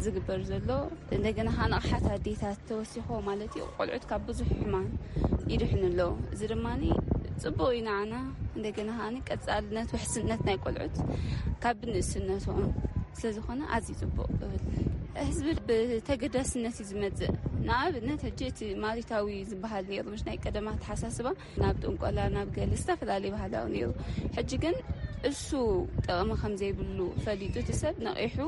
ዝግበር ዘሎ፣ እንደገና ኸኣ ንቕሓት ኣዴታት ተወሲኾ ማለት እዩ፣ ቆልዑት ካብ ብዙሕ ሕማም ይድሕኑ ኣለዉ። እዚ ድማ ጽቡቕ እዩ ንዓና። እንደገና ኸኣ ቀጻልነት፣ ውሕስነት ናይ ቆልዑት ካብ ንእስነቶም ስለ ዝኾነ ኣዝዩ ጽቡቕ እብል። ህዝቢ ብተገዳስነት እዩ ዝመጽእ። ንኣብነት፣ ሕጂ እቲ ማሪታዊ ዝበሃል ነይሩ፣ ምሽ ናይ ቀደም ኣተሓሳስባ ናብ ጥንቆላ፣ ናብ ገለ ዝተፈላለዩ ባህላዊ ነይሩ። ሕጂ ግን እሱ ጥቕሚ ከም ዘይብሉ ፈሊጡ፣ እቲ ሰብ ነቒሑ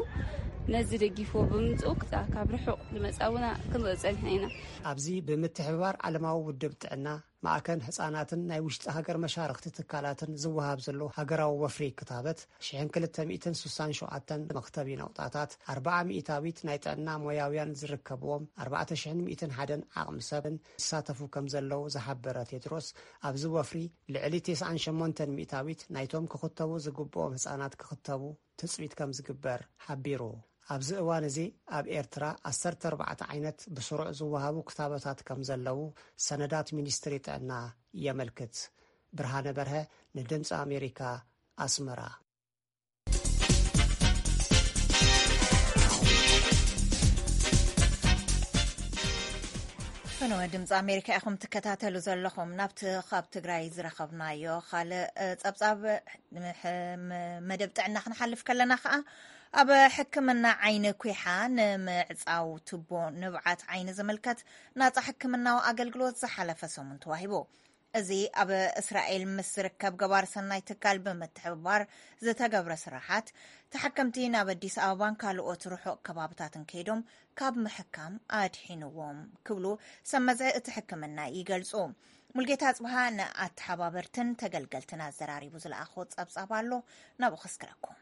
ነዚ ደጊፍዎ ብምምጽኡ፣ ክኣ ካብ ርሑቕ ዝመጻ እውን ክንርኢ ጸኒሕና ኢና። ኣብዚ ብምትሕብባር ዓለማዊ ውድብ ጥዕና፣ ማእከን ህጻናትን ናይ ውሽጢ ሃገር መሻርኽቲ ትካላትን ዝወሃብ ዘሎ ሃገራዊ ወፍሪ ክታበት፣ ሽሕን ክልተ ሚእትን ስሳን ሸውዓተን መኽተቢ ነቑጣታት፣ ኣርብዓ ሚእታዊት ናይ ጥዕና ሞያውያን ዝርከብዎም፣ ኣርባዕተ ሽሕን ሚእትን ሓደን ዓቕሚ ሰብን ይሳተፉ ከም ዘለዉ ዝሓበረ ቴድሮስ፣ ኣብዚ ወፍሪ ልዕሊ ተስዓን ሸሞንተን ሚእታዊት ናይቶም ክኽተቡ ዝግብኦም ህጻናት ክኽተቡ ትጽቢት ከም ዝግበር ሓቢሩ። ኣብዚ እዋን እዚ ኣብ ኤርትራ ዓሰርተ ኣርባዕተ ዓይነት ብስሩዕ ዝወሃቡ ክታበታት ከም ዘለዉ ሰነዳት ሚኒስትሪ ጥዕና የመልክት። ብርሃነ በርሀ ንድምፂ ኣሜሪካ፣ ኣስመራ። ፈነወ ድምፂ ኣሜሪካ ኢኹም ትከታተሉ ዘለኹም። ናብቲ ካብ ትግራይ ዝረኸብናዮ ካልእ፣ እ፣ ጸብጻብ፣ ም-፣ ሕ-፣ ም-፣ መደብ ጥዕና ክንሓልፍ ከለና ከኣ፣ ኣብ ሕክምና ዓይኒ ኲሓ ንምዕጻው ቱቦ ንብዓት ዓይኒ ዝምልከት ናጻ ሕክምናዊ ኣገልግሎት ዝሓለፈ ሰሙን ተዋሂቡ። እዚ ኣብ እስራኤል ምስ ዝርከብ ገባር ሰናይ ትካል ብምትሕብባር ዝተገብረ ስራሓት፣ ተሓከምቲ ናብ ኣዲስ ኣበባን ካልኦት ርሑቕ ከባብታትን ከይዶም ካብ ምሕካም ኣድሒንዎም ክብሉ ሰብ መዚ እቲ ሕክምና ይገልጹ። ሙልጌታ ኣጽብሃ ንኣተሓባበርትን ተገልገልትን ኣዘራሪቡ ዝለኣኾ ጸብጻብ ኣሎ፣ ናብኡ ከስክረኩም።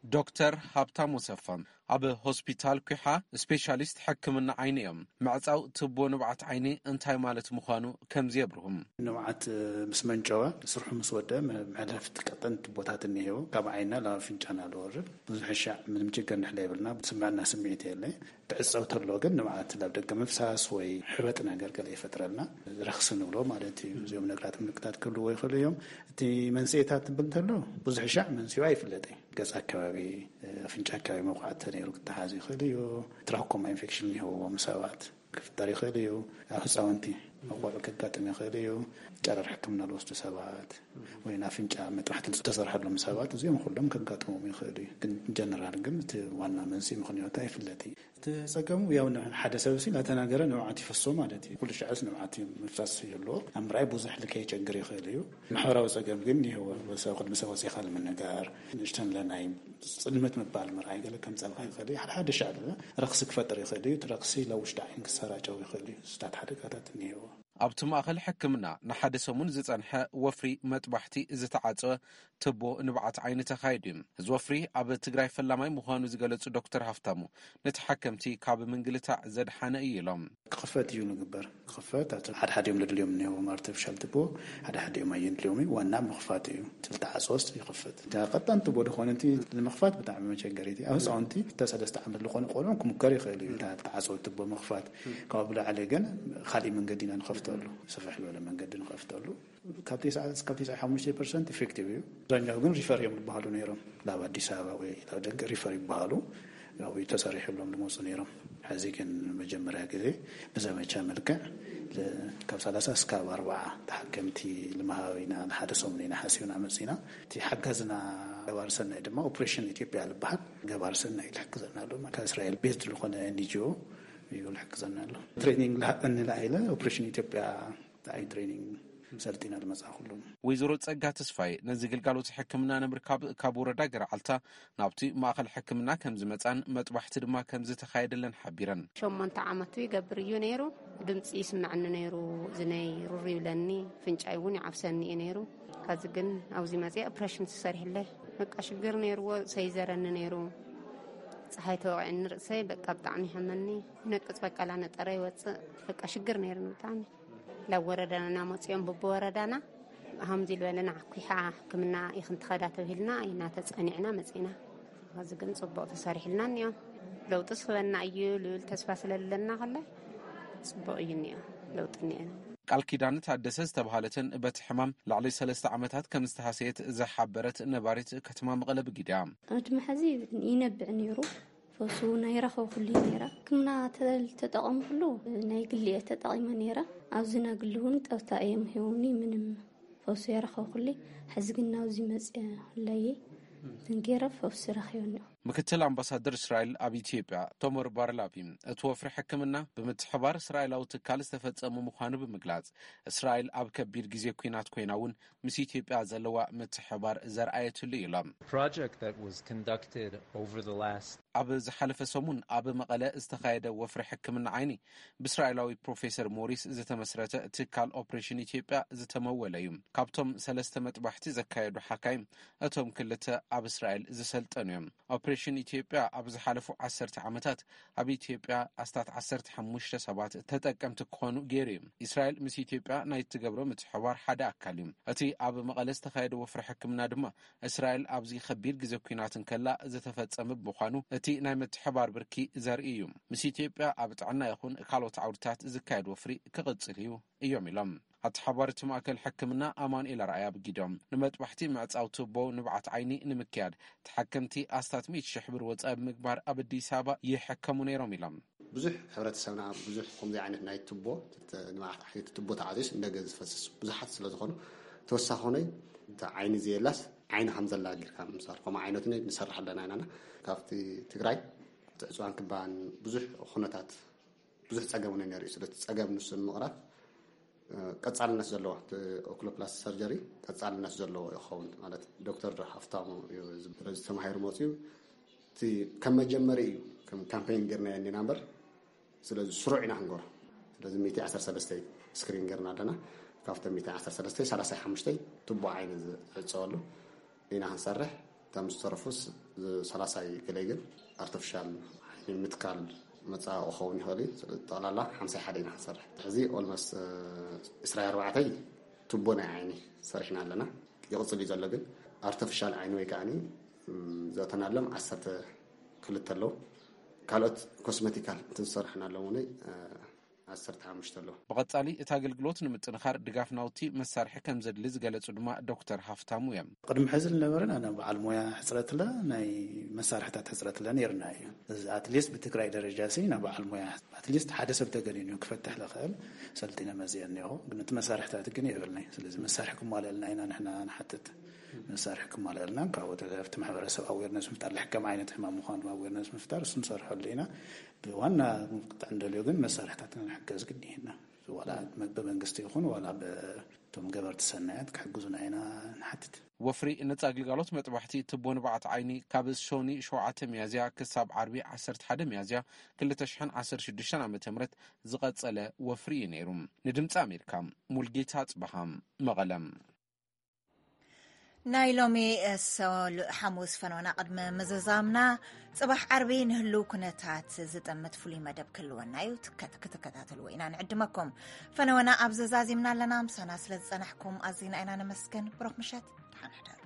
ዶክተር ሃብታሙ ሰፋም ኣብ ሆስፒታል ኲሓ ስፔሻሊስት ሕክምና ዓይኒ እዮም። ምዕጻው ትቦ ንብዓት ዓይኒ እንታይ ማለት ምዃኑ ከምዚ የብርሁም። ንብዓት ምስ መንጨወ፣ ስርሑ ምስ ወደ፣ መ-፣ መሕለፍቲ ቀጠንቲ ቦታት እኒሄው። ካብ ዓይንና ናብ ኣፍንጫና ዝወርድ። ብዙሕ ሻዕ ምንም ችግር ንሕለ የብልና። ስምዕና ስምዒት የለ። ትዕጸው ተሎ ግን ንብዓት ናብ ደገ ምፍሳስ ወይ ሕበጥ ነገር ገለ ይፈጥረልና። ረኽሲ ንብሎ ማለት እዩ። እዚኦም ነገራት ምልክታት ክህልዎ ይኽእሉ እዮም። እቲ መንስኤታት ትብል እንተሎ ብዙሕ ሻዕ መንስኤ ኣይፍለጥ እዩ። ገጽ ኣካባቢ፣ ኣፍንጫ ኣካባቢ መውቃዕቲ ተነይሩ ክተሓዝ ይኽእል እዩ። ትራኮማ ኢንፌክሽን ይህብዎም ሰባት ክፍጠር ይኽእል እዩ። ኣብ ህፃውንቲ መቆልዑ ከጋጥም ይኽእል እዩ። ጨረር ሕክምና ዝወስዱ ሰባት ወይ ናፍንጫ መጥባሕቲ ዝተሰርሐሎም ሰባት እዚኦም ኩሎም ከጋጥሞም ይኽእል እዩ። ግን ጀነራል ግን እቲ ዋና መንስኤ ምኽንያቱ ኣይፍለጥ እዩ። እቲ ጸገሙ ያው ን-፣ ሓደ ሰብ ሲ እናተናገረ ንብዓት ይፈሶ ማለት እዩ። ኩሉ ሻዕስ ንብዓት ምፍሳስ ይህልዎ። ኣብ ምርኣይ ብዙሕ ልከ ይቸግር ይኽእል እዩ። ማሕበራዊ ጸገም ግን ይህዎ። ሰብ ቅድሚ ሰብ ወፂኻ ንምንጋር፣ ንእሽተን ለናይ ጽልመት ምባል ምርኣይ ገለ ከምጸልካ ይኽእል እዩ። ሓደ ሓደ ሻዕ ድማ ረኽሲ ክፈጥር ይኽእል እዩ። እቲ ረኽሲ ናብ ውሽጢ ዓይን ክሰራጨው ይኽእል እዩ። ስታት ሓደጋታት እኒህዎ። ኣብቲ ማእኸል ሕክምና ንሓደ ሰሙን ዝጸንሐ ወፍሪ መጥባሕቲ ዝተዓጸወ ትቦ ንብዓት ዓይኒ ተኻይዱ እዩ። እዚ ወፍሪ ኣብ ትግራይ ፈላማይ ምዃኑ ዝገለጹ ዶክተር ሃፍታሙ፣ ንተሓከምቲ ካብ ምንግልታዕ ዘድሓነ እዩ ኢሎም። ክኽፈት እዩ ንግበር። ክኽፈት፣ ሓደ ሓደ እዮም ለድልዮም እኒሄዎም ኣርቲፊሻል ትቦ፣ ሓደ ሓደ እዮም ኣየድልዮም እዩ። ዋና ምኽፋት እዩ። ትልተዓሶስ ይኽፈት። እታ ቀጣን ትቦ ዝኾነ እቲ ንምኽፋት ብጣዕሚ መቸገሪት እዩ። ኣብ ህፃውንቲ እታ ሰለስተ ዓመት ዝኾኑ ቆልዑ ክምከር ይኽእል እዩ። እታ ተዓፅወ ትቦ ምኽፋት። ካብኡ ብላዕሊ ግን ካሊእ መንገዲ ኢና ንኸፍተሉ። ስፍሕ ዝበለ መንገዲ ንኸፍተሉ። ካብ ተስዓ እስካብ ተስዓ ሓሙሽተ ፐርሰንት ኢፌክቲቭ እዩ። ኣብዛኛው ግን ሪፈር እዮም ዝበሃሉ ነይሮም። ናብ ኣዲስ ኣበባ ወይ ናብ ደገ ሪፈር ይበሃሉ። ያው ተሰሪሕሎም ዝመፁ ነይሮም። ሕዚ ግን መጀመርያ ግዜ ብዘመቻ መልክዕ ል- ካብ ሰላሳ እስካብ ኣርባዓ ተሓከምቲ ልምሃብ ኢና፣ ንሓደ ሰሙን ኢና ሓሲብና መፂና። እቲ ሓጋዝና ገባር ሰናይ ድማ ኦፕሬሽን ኢትዮጵያ ዝበሃል ገባር ሰናይ ዝሕግዘና ኣሎ። ካብ እስራኤል ቤዝድ ዝኾነ ኤንጂኦ እዩ ዝሕግዘና ኣሎ። ትሬኒንግ ልሃበኒ ኢለ ኦፕሬሽን ኢትዮጵያ ኣይ ትሬኒንግ ሰልጢና ዝመፅኣ ኩሉ። ወይዘሮ ጸጋ ተስፋይ ነዚ ግልጋሎት ሕክምና ንምርካብ ካብ ወረዳ ገርዓልታ ናብቲ ማእኸል ሕክምና ከም ዝመጻን መጥባሕቲ ድማ ከም ዝተኻየደለን ሓቢረን። ሸሞንተ ዓመቱ ይገብር እዩ ነይሩ። ድምፂ ይስምዐኒ ነይሩ፣ እዝነይ ሩር ይብለኒ፣ ፍንጫይ እውን ይዓብሰኒ እዩ ነይሩ። ካዚ ግን ኣብዚ መፅየ ኦፕሬሽን ተሰሪሕለ። በቃ ሽግር ነይርዎ፣ ሰይዘረኒ ነይሩ። ፀሓይ ተወቂዕኒ ርእሰይ በቃ ብጣዕሚ ይሓመኒ። ነቅፅ በቃ ላነጠረ ይወፅእ። በቃ ሽግር ነይርኒ ብጣዕሚ። ናብ ወረዳና እናመፅኦም ብብወረዳና ሃምዚ ዝበለና ዓኲሓ ሕክምና ኢኽን ትኸዳ ተብሂልና ኢና ተፀኒዕና መፂና። ኸዚ ግን ፅቡቕ ተሰሪሕልና እኒኦ። ለውጢ ስኽበና እዩ ልብል ተስፋ ስለለና ከላይ ፅቡቕ እዩ እኒኦ። ለውጢ እኒኦ። ቃል ኪዳን ታደሰ ዝተባሃለትን በቲ ሕማም ልዕሊ ሰለስተ ዓመታት ከም ዝተሃሰየት ዝሓበረት ነባሪት ከተማ መቐለ ብጊዳ። ዕድመ ሕዚ ይነብዕ ነይሩ። ፈሱ ናይ ረኸብኩሉ ነይረ። ሕክምና ተል- ተጠቐምኩሉ ናይ ግሊ እየ ተጠቒመ ነይረ። ኣብዚ ናይ ግሊ እውን ጠብታ እዮም ሂቦምኒ። ምንም ፈሱ የረኸብኩሉ። ሕዚ ግን ናብዚ መፅየ ለየ ትንጌረ ፈሱ ረኺበኒ። ምክትል ኣምባሳደር እስራኤል ኣብ ኢትዮጵያ ቶመር ባርላቪ፣ እቲ ወፍሪ ሕክምና ብምትሕባር እስራኤላዊ ትካል ዝተፈጸሙ ምዃኑ ብምግላጽ፣ እስራኤል ኣብ ከቢድ ግዜ ኲናት ኮይና እውን ምስ ኢትዮጵያ ዘለዋ ምትሕባር ዘርኣየትሉ እዩ ኢሎም። Project that was conducted over the last ኣብ ዝሓለፈ ሰሙን ኣብ መቐለ ዝተኻየደ ወፍሪ ሕክምና ዓይኒ ብእስራኤላዊ ፕሮፌሰር ሞሪስ ዝተመስረተ ትካል ኦፕሬሽን ኢትዮጵያ ዝተመወለ እዩ። ካብቶም ሰለስተ መጥባሕቲ ዘካየዱ ሓካይም እቶም ክልተ ኣብ እስራኤል ዝሰልጠኑ እዮም። ኦፕሬሽን ኢትዮጵያ ኣብ ዝሓለፉ ዓሰርተ ዓመታት ኣብ ኢትዮጵያ ኣስታት ዓሰርተ ሓሙሽተ ሰባት ተጠቀምቲ ክኾኑ ገይሩ እዩ። እስራኤል ምስ ኢትዮጵያ ናይ እትገብሮ ምትሕባር ሓደ ኣካል እዩ። እቲ ኣብ መቐለ ዝተኻየደ ወፍሪ ሕክምና ድማ እስራኤል ኣብዚ ከቢድ ግዜ ኲናት እንከላ ዝተፈጸመ ብምዃኑ እቲ ናይ ምትሕባር ብርኪ ዘርኢ እዩ። ምስ ኢትዮጵያ ኣብ ጥዕና ይኹን ካልኦት ዓውድታት ዝካየድ ወፍሪ ክቕጽል እዩ እዮም ኢሎም። ኣተሓባሪ እቲ ማእከል ሕክምና ኣማኑኤል ኣርኣያ ብጊዶም፣ ንመጥባሕቲ ምዕጻው ቱቦ ንብዓት ዓይኒ ንምክያድ ተሓከምቲ ኣስታት ሚእቲ ሽሕ ብር ወጻኢ ብምግባር ኣብ ኣዲስ ኣበባ ይሕከሙ ነይሮም ኢሎም። ብዙሕ ሕብረተሰብና ብዙሕ ከምዚ ዓይነት ናይ ቱቦ ንብዓት ዓይኒ ቱቦ ተዓዚስ እንደገ ዝፈስስ ብዙሓት ስለ ዝኾኑ ተወሳኺ ኾነ እቲ ዓይኒ ዘየላስ ዓይኒ ከም ዘላ ጌርካ ምምሳል ከምኡ ዓይነቱ ንሰርሕ ኣለና ኢና። ካብቲ ትግራይ ትዕፅዋን ክባን ብዙሕ ኩነታት ብዙሕ ጸገም እውን ነይሩ እዩ። ስለዚ ጸገም ንሱ ንምቕራፍ ቀጻልነት ዘለዎ ኦኩሎፕላስቲ ሰርጀሪ ቀጻልነት ዘለዎ ይኸውን ማለት ዶክተር ሃፍታሙ እዩ። ስለዚ ተማሂሩ መፅኡ እቲ ከም መጀመሪ እዩ ከም ካምፔን ጌርና የኒና እምበር ስለዚ ስሩዕ ኢና ክንገሮ። ስለዚ ሚእቲ ዓሰርተ ሰለስተ ስክሪን ጌርና ኣለና። ካብቶም ሚእቲ ዓሰርተ ሰለስተ ሰላሳ ሓሙሽተ ቱቦ ዓይኒ ዝዕፀወሉ ኢና ክንሰርሕ። እቶም ዝተረፉስ ሰላሳ ገለ ግን ኣርቲፊሻል ዓይኒ ምትካል መፃ ክኸውን ይኽእል እዩ። ጠቕላላ ሓምሳ ሓደ ኢና ክንሰርሕ። ሕዚ ኦልሞስት ዕስራ ኣርባዕተ ቱቦ ናይ ዓይኒ ሰሪሕና ኣለና። ይቕፅል እዩ ዘሎ ግን ኣርቲፊሻል ዓይኒ ወይ ከዓኒ ዘተናሎም ዓሰርተ ክልተ ኣለዉ። ካልኦት ኮስመቲካል እንትን ዝሰርሕና ኣለዉ እውን ዓሰርተ ሓሙሽተ ኣለዉ። ብቐጻሊ እቲ ኣገልግሎት ንምጥንኻር ድጋፍ ናውቲ መሳርሒ ከም ዘድሊ ዝገለጹ ድማ ዶክተር ሃፍታሙ እዮም። ቅድሚ ሕዚ ዝነበረና ናይ በዓል ሞያ ሕፅረት ለ ናይ መሳርሕታት ሕፅረት ለ ነይርና እዩ። እዚ ኣትሊስት ብትግራይ ደረጃ ሲ ናይ በዓል ሞያ ኣትሊስት ሓደ ሰብ ተገኒኑ ክፈትሕ ዝኽእል ሰልጢነ መፅየ እኒኹ። ግን እቲ መሳርሕታት ግን የብልናይ። ስለዚ መሳርሒ ክማልአልና ኢና ንሕና ንሓትት። መሳርሒ ክማልአልና ካብኡ ተደረፍቲ ማሕበረሰብ ኣዌርነስ ምፍጣር ልሕከም ዓይነት ሕማም ምዃኑ ኣዌርነስ ምፍጣር እሱ ንሰርሐሉ ኢና። ብዋና ክጥዕን ደልዮ ግን መሳርሕታትና ንሕገዝ ግድን ኢና። ዋላ ብመንግስቲ ይኹን ዋላ ብቶም ገበርቲ ሰናያት ክሕግዙና ኢና ንሓትት። ወፍሪ ነጻ ግልጋሎት መጥባሕቲ ትቦ ንብዓት ዓይኒ ካብ ሾኒ ሸውዓተ ሚያዝያ ክሳብ ዓርቢ ዓሰርተ ሓደ ሚያዝያ ክልተ ሽሕን ዓሰርተ ሽዱሽተን ዓመተ ምህረት ዝቐጸለ ወፍሪ እዩ ነይሩ። ንድምፂ ኣሜሪካ ሙልጌታ ጽበሃም መቐለም። ናይ ሎሚ ሓሙስ ፈነወና ቅድሚ ምዝዛምና፣ ጽባሕ ዓርቢ ንህልው ኩነታት ዝጠምት ፍሉይ መደብ ክህልወና እዩ። ክትከታተልዎ ኢና ንዕድመኩም። ፈነወና ኣብ ዘዛዚምና ኣለና። ምሳና ስለ ዝጸናሕኩም ኣዚና ኢና ነመስገን። ብሩኽ ምሸት፣ ደሓን ሕደሩ።